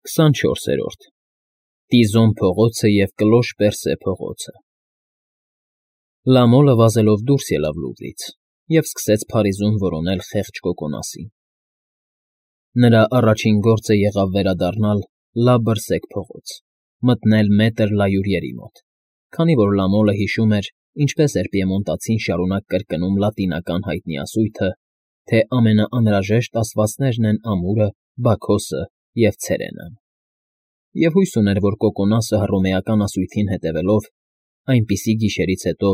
24-րդ Տիզոն փողոցը և Կլոշ Պերսե փողոցը Լամոլը վազելով դուրս ելավ լուռից և սկսեց Փարիզում որոնել խեղճ կոկոնասին. Նրա առաջին գործը եղավ վերադառնալ Լա Բրսեկ փողոց, մտնել մետր Լայուրիերի մոտ, քանի որ Լամոլը հիշում էր, ինչպես էր պիեմոնտացին շարունակ կրկնում լատինական հայտնի ասույթը, թե ամենաանհրաժեշտ աստվածներն են Ամուրը, Բաքոսը և Ցերենան, և հույս ուներ, որ կոկոնասը հռոմեական ասույթին հետևելով, այնպիսի գիշերից հետո,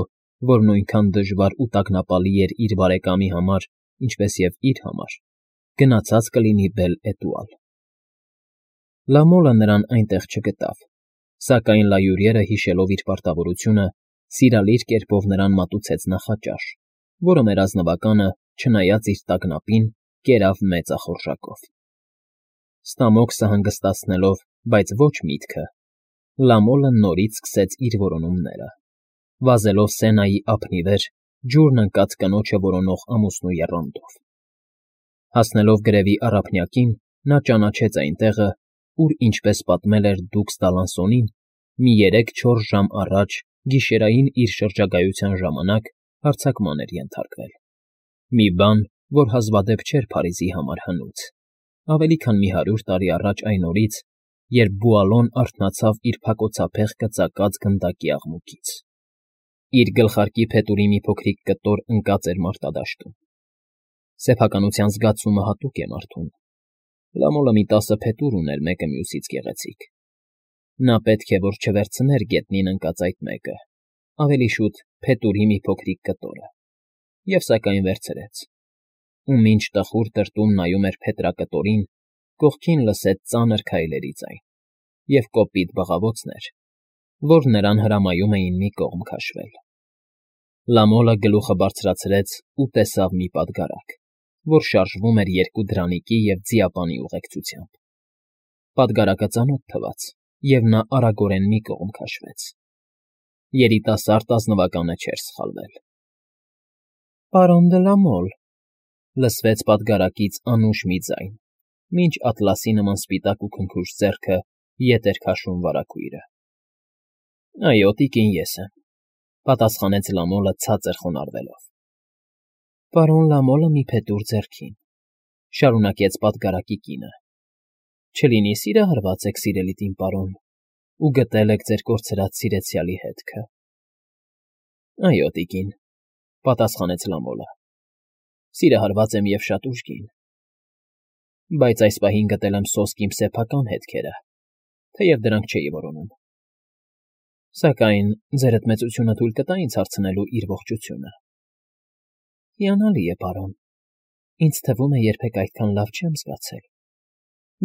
որ նույնքան դժվար ու տագնապալի էր իր բարեկամի համար, ինչպես և իր համար, գնացած կլինի Բել֊Էտուալ։ Լամոլը նրան այնտեղ չգտավ, սակայն Լայուրիերը, հիշելով իր պարտավորությունը, սիրալիր կերպով նրան մատուցեց նախաճաշ, որը մեր ազնվականը, չնայած իր տագնապին, կերավ մեծախորժակով։ Ստամոքսը հանգստացնելով, բայց ոչ միտքը, Լամոլը նորից սկսեց իր որոնումները, վազելով Սենայի ափի վեր, ջուրն ընկած կնոջը որոնող ամուսնու եռանդով։ Հասնելով գրևի առափնյակին, նա ճանաչեց այն տեղը, ուր, ինչպես պատմել էր դուքս Դալանսոնին, մի 3-4 ժամ առաջ գիշերային իր շրջագայության ժամանակ հարձակման էր ենթարկվել։ Մի բան, որ հազվադեպ չէր Փարիզի համար հնուց, ավելի քան մի 100 տարի առաջ այն օրից, երբ Բուալոն արթնացավ իր փակոցափեղ կծակած գնդակի աղմուկից։ Իր գլխարկի փետուրի մի փոքրիկ կտոր ընկած էր մարտադաշտում։ Սեփականության զգացումը հատուկ է մարդուն։ Լամոլը մի 10 փետուր ուներ մեկը մյուսից գեղեցիկ։ Նա պետք է որ չվերցներ գետնին ընկած այդ մեկը, ավելի շուտ փետուրի մի փոքրիկ կտորը, և սակայն վերցրեց։ Ու մինչ տխուր տրտում նայում էր փետրակտորին, կողքին լսեց ծանր քայլերի ձայն և կոպիտ բղավոցներ, որ նրան հրամայում էին մի կողմ քաշվել։ Լամոլը գլուխը բարձրացրեց ու տեսավ մի պատգարակ, որ շարժվում էր 2 դրանիկի և ձիապանի ուղեկցությամբ։ Պատգարակը ծանոթ թվաց, և նա արագորեն մի կողմ քաշվեց։ Երիտասարդ ազնվականը չէր սխալվել։ «Պարոն դը Լամոլ», լսվեց պատգարակից անուշ մի ձայն, մինչ ատլասի նման սպիտակ ու քնքուշ ձեռքը ետ էր քաշում վարագույրը։ «Այո, տիկին, ես եմ», պատասխանեց Լամոլը ցածր խոնարհվելով։ «Պարոն Լամոլը մի փետուր ձեռքին», շարունակեց պատգարակի կինը։ «Չլինի սիրահարված եք, սիրելիտին պարոն, ու գտել եք ձեր կորցրած սիրեցյալի հետքը»։ «Այո, տիկին», պատասխանեց Լամոլը, «սիրահարված եմ և շատ ուժգին, բայց այս պահին գտել եմ սոսկ իմ սեփական հետքերը, թեև դրանք չէի որոնում։ Սակայն ձերդ մեծությունը թույլ կտա ինձ հարցնելու իր ողջությունը»։ «Հիանալի է, պարոն, ինձ թվում է երբեք այդքան լավ չեմ զգացել։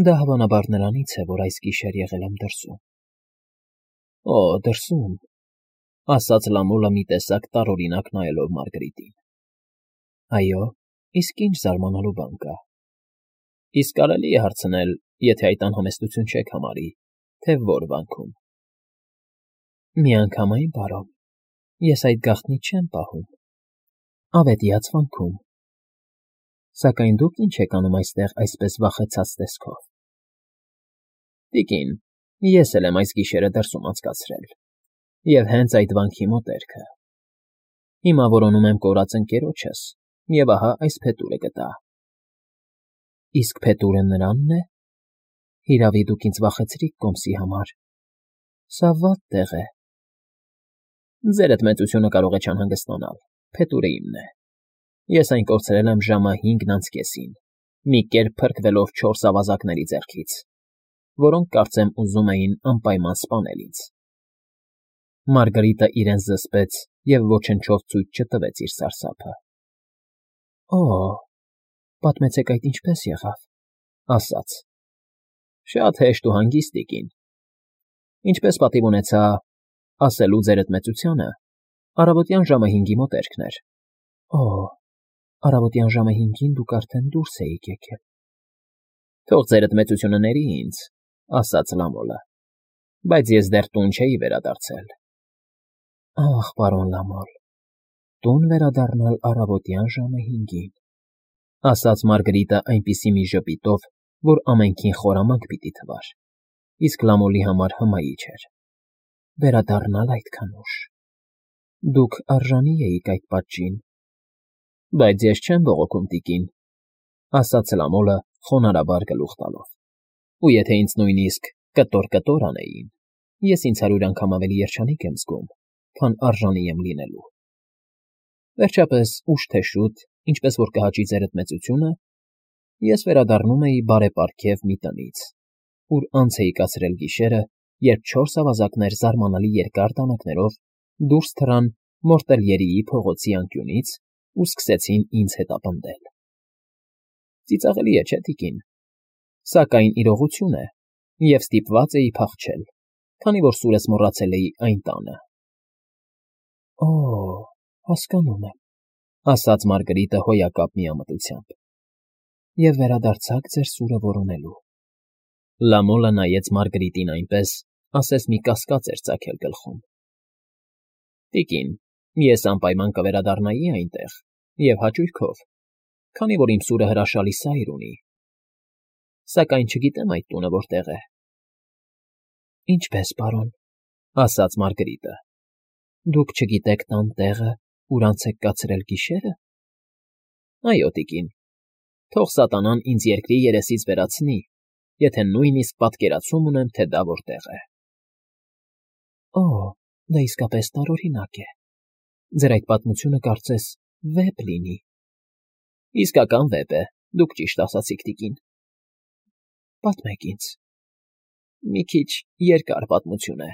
Դա հավանաբար նրանից է, որ այս գիշեր եղել եմ դրսում»։ «Օ, դրսում», ասաց Լամոլը մի տեսակ տարօրինակ նայելով Մարգարիտին։ «Այո, իսկ ինչ զարմանալու բան կա։ Իսկ կարելի է հարցնել, եթե այդ անհամեստություն չեք համարի, թե ո՞ր վանքում»։ «Միանգամայն, պարոն, ես այդ գաղտնիք չեմ պահում։ Ավետյաց վանքում։ Սակայն դուք ինչ եք անում այստեղ այսպես վախեցած տեսքով»։ «Տիկին, ես էլ եմ այս գիշերը դրսում անցկացրել, և հենց այդ վանքի մոտերքը։ Հիմա որոնում եմ կորած ընկերոջս, և ահա այս փետուրը գտա»։ «Իսկ փետուրը նրանն է։ Հիրավի, դուք ինձ վախեցրիք կոմսի համար։ Սա վատ տեղ է»։ «Ձերդ մեծությունը կարող է չանհանգստանալ, փետուրը իմն է։ Ես այն կորցրել եմ ժամը 5:30, մի կերպ փրկվելով 4 ավազակների ձեռքից, որոնք, կարծեմ, ուզում էին անպայման սպանել ինձ»։ Մարգարիտը իրեն զսպեց և ոչնչով ցույց չտվեց իր սարսափը։ «Օ, պատմեցեք այդ ինչպես եղավ», ասաց։ «Շատ հեշտ ու հանգիստ, տիկին։ Ինչպես պատիվ ունեցա ասելու ձերդ մեծությանը, առավոտյան ժամը 5-ի մոտերքն էր»։ «Օ, առավոտյան ժամը 5-ին դուք արդեն դուրս էիք եկել»։ «Թող ձերդ մեծությունը ների ինձ», ասաց Լամոլը, «բայց ես դեռ տուն չէի վերադարձել»։ «Ախ, պարոն Լամոլ, տուն վերադառնալ առավոտյան ժամը 5-ին», ասաց Մարգարիտը այնպիսի մի ժպիտով, որ ամենքին խորամանկ պիտի թվար։ իսկ Լամոլի համար հմայիչ էր։ Վերադառնալ այդքան ուշ։ Դուք արժանի էիք այդ պատժին։ Բայց ես չեմ բողոքում, տիկին, ասաց Լամոլը խոնարհաբար գլուխ տալով։ Ու եթե ինձ նույնիսկ կտոր անեին, ես ինձ 100 անգամ ավելի երջանիկ եմ զգում, քան արժանի եմ լինելու։ Վերջապես, ուշ թե շուտ, ինչպես որ կհաճի ձերդ մեծությունը, ես վերադառնում էի բարեպարգև մի տնից, ուր անց էի կացրել գիշերը, երբ 4 ավազակներ զարմանալի երկար տանակներով դուրս թռան Մորտելյերիի փողոցի անկյունից ու սկսեցին ինձ հետապնդել։ Ծիծաղելի է, չէ՞, տիկին, սակայն իրողություն է, և ստիպված էի փախչել, քանի որ սուրս մոռացել էի այն տանը։ Օ, հասկանում եմ, ասաց Մարգարիտը հոյակապ միամտությամբ։ Եվ վերադարձաք ձեր սուրը որոնելու։ Լամոլը նայեց Մարգարիտին այնպես, ասես մի կասկած էր ծագել գլխում։ Տիկին, ես անպայման կվերադառնայի այնտեղ, և հաճույքով, քանի որ իմ սուրը հրաշալի սայր ունի, սակայն չգիտեմ այդ տունը որտեղ է։ Ինչպես, պարոն, ասաց Մարգարիտը, դուք չգիտեք տան տեղը, ուր անց եք կացրել գիշերը։ Այո, տիկին, թող սատանան ինձ երկրի երեսից վերացնի, եթե նույնիսկ պատկերացում ունեմ, թե դա որտեղ է։ Օ, դա իսկապես տարօրինակ է։ Ձեր այդ պատմությունը կարծես վեպ լինի։ Իսկական վեպ է, դուք ճիշտ ասացիք, տիկին։ Պատմեք ինձ։ Մի քիչ երկար պատմություն է։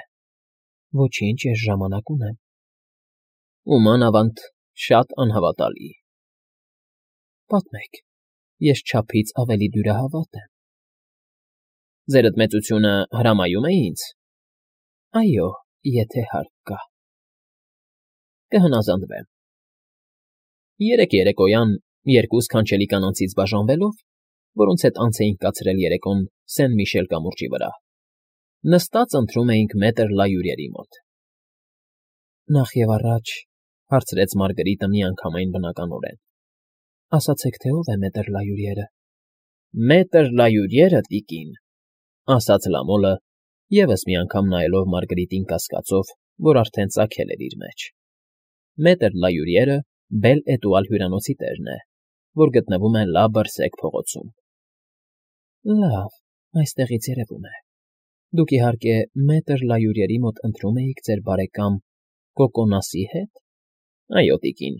Ոչինչ, ես ժամանակ ունեմ։ Ու մանավանդ շատ անհավատալի։ Պատմեք, ես չափից ավելի դյուրահավատ եմ։ Ձերդ մեծությունը հրամայում է ինձ։ Այո, եթե հարկ կա։ Կհնազանդվեմ։ Երեկ երեկոյան, երկու սքանչելի կանանցից բաժանվելով, որոնց հետ անց էինք կացրել երեկոն Սեն֊Միշել կամուրջի վրա, նստած ընթրում էինք մետր Լայուրիերի մոտ։ Նախ և առաջ, հարցրեց Մարգարիտը միանգամայն բնականորեն, ասացեք, թե ով է մետր Լայուրիերը։ Մետր Լայուրիերը, տիկին, ասաց Լամոլը, ևս մի անգամ նայելով Մարգարիտին կասկածով, որ արդեն ծագել էր իր մեջ։ Մետր Լայուրիերը Բել֊Էտուալ հյուրանոցի տերն է, որ գտնվում է Լա Բրսեկ փողոցում։ Լավ, այստեղից երևում է։ Դուք իհարկե մետր Լայուրիերի մոտ ընթրում էիք ձեր բարեկամ Կոկոնասի հետ։ Այո, տիկին,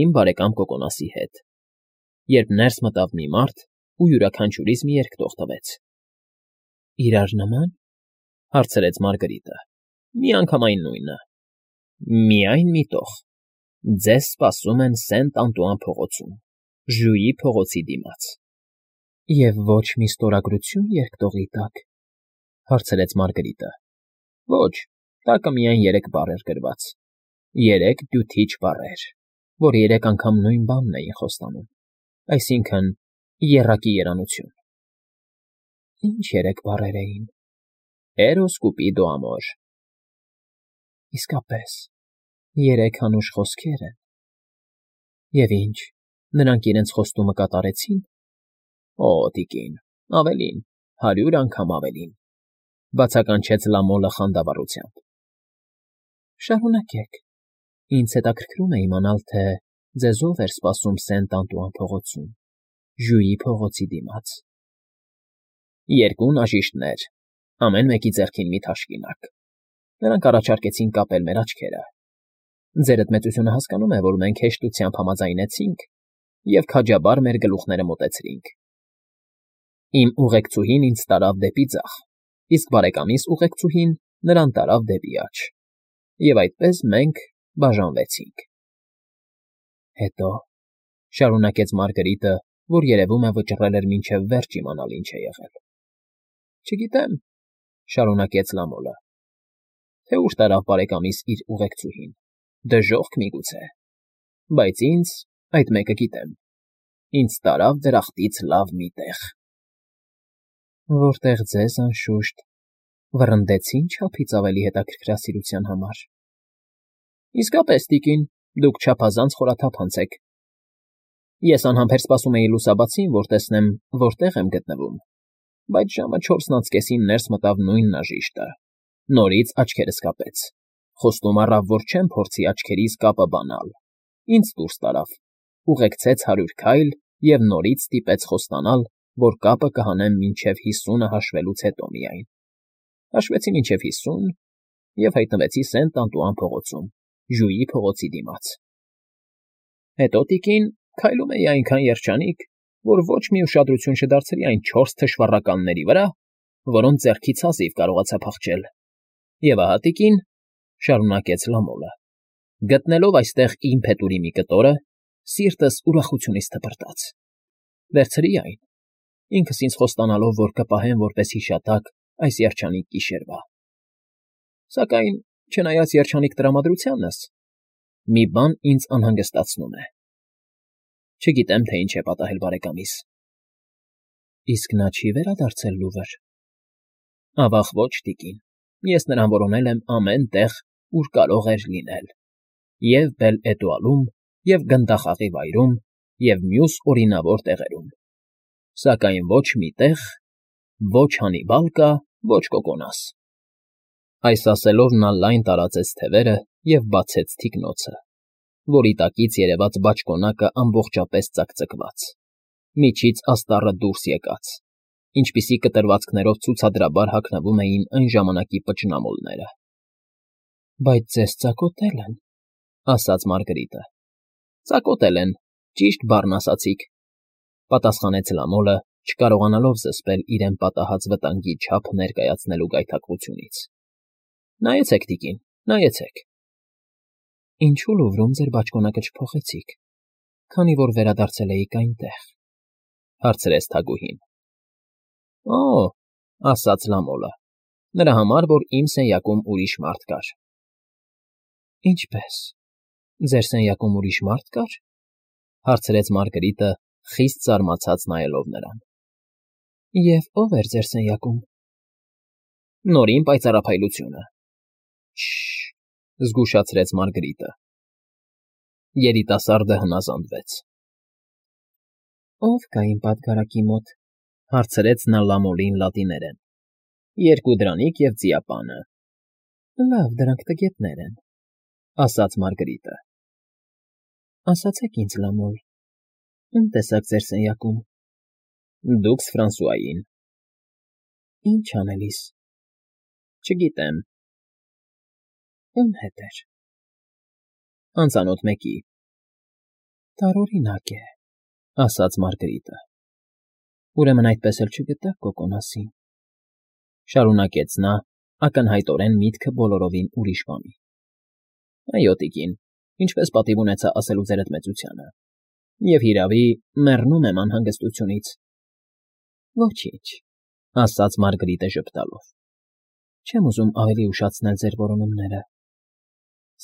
իմ բարեկամ Կոկոնասի հետ։ Երբ ներս մտավ մի մարդ ու յուրաքանչյուրից մի երկտող տվեց։ Իրար նման, հարցրեց Մարգարիտը։ Միանգամայն նույնը։ Միայն մի տող։ Ձեզ սպասում են Սենտ-Անտուան փողոցում, Ժյուի փողոցի դիմաց։ Եվ ոչ մի ստորագրություն երկտողի տակ, հարցրեց Մարգարիտը։ Ոչ, տակը միայն 3 բառ էր գրված։ 3 դյութիչ բառեր, որ 3 անգամ նույն բանն էին խոստանում, այսինքն՝ եռակի երանություն։ Ինչ 3 բառեր էին։ Էրոս Կուպիդո ամոր։ Իսկապես, 3 անուշ խոսքեր են։ Եվ ինչ, նրանք իրենց խոստումը կատարեցին։ Օ, տիկին, ավելին, 100 անգամ ավելին, բացականչեց Լամոլը խանդավառությամբ։ Շարունակեք, ինձ հետաքրքրում է իմանալ, թե ձեզ ով էր սպասում Սենտ-Անտուան փողոցում, Ժյուի փողոցի դիմաց։ 2 նաժիշտներ, ամեն մեկի ձեռքին մի թաշկինակ։ Նրանք առաջարկեցին կապել մեր աչքերը։ Ձերդ մեծությունը հասկանում է, որ մենք հեշտությամբ համաձայնեցինք և քաջաբար մեր գլուխները մոտեցրինք։ Իմ ուղեկցուհին ինձ տարավ դեպի ձախ, իսկ բարեկամիս ուղեկցուհին նրան տարավ դեպի աջ։ Եվ այդպես մենք բաժանվեցինք։ Հետո, շարունակեց Մարգարիտը, որ երևում է վճռել էր մինչև վերջ իմանալ ինչ է եղել։ Չգիտեմ, շարունակեց Լամոլը, թե ուր տարավ բարեկամիս իր ուղեկցուհին, դժոխք միգուցե, բայց ինձ այդ մեկը գիտեմ, ինձ տարավ դրախտից լավ մի տեղ։ Որտեղ ձեզ, անշուշտ, վռնդեցին չափից ավելի հետաքրքրասիրության համար։ Իսկապես, տիկին, դուք չափազանց խորաթափանց եք։ Ես անհամբեր սպասում էի լուսաբացին, որ տեսնեմ, որտեղ եմ գտնվում, բայց ժամը 4:30-ին ներս մտավ նույն նաժիշտը։ Նորից աչքերս կապեց։ Խոստում առավ, որ չեմ փորձի աչքերիս կապը բանալ։ Ինձ դուրս տարավ, ուղեկցեց 100 քայլ և նորից ստիպեց խոստանալ, որ կապը կհանեմ մինչև 50-ը հաշվելուց հետո միայն։ Հաշվեցի մինչև 50 և հայտնվեցի Սենտ Անտուան փողոցում, Ժուի փողոցի դիմաց։ Հետո, տիկին, քայլում էի այնքան երջանիկ, որ ոչ մի ուշադրություն չդարձրի այն 4 թշվառականների վրա, որոնց ձեռքից հազիվ կարողացա փախչել։ Եվ ահա, տիկին, շարունակեց Լամոլը, գտնելով այստեղ իմ փետուրի մի կտորը, սիրտս ուրախությունից թպրտաց։ Վերցրի այն, ինքս ինձ խոստանալով, որ կպահեմ որպես հիշատակ այս երջանիկ գիշերվա։ Սակայն, չնայած երջանիկ տրամադրությանս, մի բան ինձ անհանգստացնում է։ Չգիտեմ, թե ինչ է պատահել բարեկամիս։ Իսկ նա չի վերադարձել Լուվր։ Ավաղ ոչ, տիկին, ես նրան որոնել եմ ամեն տեղ, ուր կարող էր լինել. և Բել֊Էտուալում, և Գնդախաղի վայրում, և մյուս օրինավոր տեղերում։ Սակայն ոչ մի տեղ, ոչ Հանիբալ կա, ոչ Կոկոնաս։ Այս ասելով նա լայն տարածեց թևերը և բացեց թիկնոցը, որի տակից երևաց բաճկոնակը ամբողջապես ծակծկված, միջից աստառը դուրս եկած, ինչպիսի կտրվածքներով ցուցադրաբար հագնվում էին այն ժամանակի պճնամոլները։ Բայց ձեզ ծակոտել են, ասաց Մարգրիտը։ Ծակոտել են, ճիշտ բառն ասացիք, պատասխանեց Լամոլը, չկարողանալով զսպել իրեն պատահած վտանգի չափը ներկայացնելու գայթակղությունից։ Նայեցեք, տիկին, նայեցեք։ Ինչու Լուվրում ձեր բաճկոնակը չփոխեցիք, քանի որ վերադարձել էիք այնտեղ, հարցրեց թագուհին։ Օ, ասաց Լամոլը, նրա համար, որ իմ սենյակում ուրիշ մարդ կար։ Ինչպե՞ս, ձեր սենյակում ուրիշ մարդ կար, հարցրեց Մարգրիտը, խիստ զարմացած նայելով նրան։ Եվ ո՞վ էր ձեր սենյակում։ Նորին պայծառափայլությունը։ Շ… զգուշացրեց Մարգրիտը։ Երիտասարդը հնազանդվեց։ Ո՞վ կա իմ պատգարակի մոտ, հարցրեց նա Լամոլին լատիներեն։ Երկու դրանիկ և ձիապանը։ Լավ, դրանք տգետներ են, ասաց Մարգրիտը։ Ասացեք ինձ, Լամոլ, ում տեսաք ձեր սենյակում։ Դուքս Ֆրանսուային։ Ինչ անելիս։ Չգիտեմ։ Ում հետ էր։ Անծանոթ մեկի։ Տարօրինակ է, ասաց Մարգրիտը։ Ուրեմն այդպես էլ չգտաք Կոկոնասին, շարունակեց նա, ակնհայտորեն միտքը բոլորովին ուրիշ բանի։ Այո, տիկին, ինչպես պատիվ ունեցա ասելու ձեր մեծությանը, և հիրավի, մեռնում եմ անհանգստությունից։ Ոչինչ, ասաց Մարգրիտը ժպտալով։ Չեմ ուզում ավելի ուշացնել ձեր որոնումները,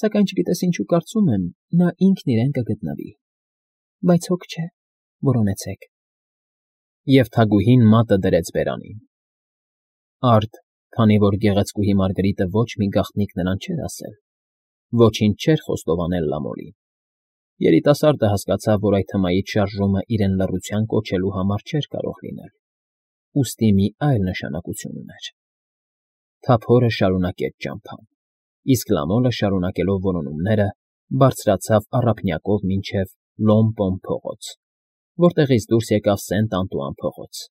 սակայն չգիտես ինչու կարծում եմ, նա ինքն իրեն կգտնվի, բայց հոգ չէ, որոնեցեք։ Եվ թագուհին մատը դրեց բերանին։ Արդ, քանի որ գեղեցկուհի Մարգրիտը ոչ մի գաղտնիք նրան չէր ասել, ոչինչ չէր խոստովանել Լամոլին։ Երիտասարդը հասկացավ, որ այդ հմայիչ շարժումը իրեն լռության կոչելու համար չէր կարող լինել, ուստի մի այլ նշանակություն ուներ։ Թափորը շարունակեց ճամփան, իսկ Լամոլը, շարունակելով որոնումները, բարձրացավ առափնյակով մինչև Լոմպոմ փողոց, որտեղից դուրս եկավ Սենտ Անտուան փողոց։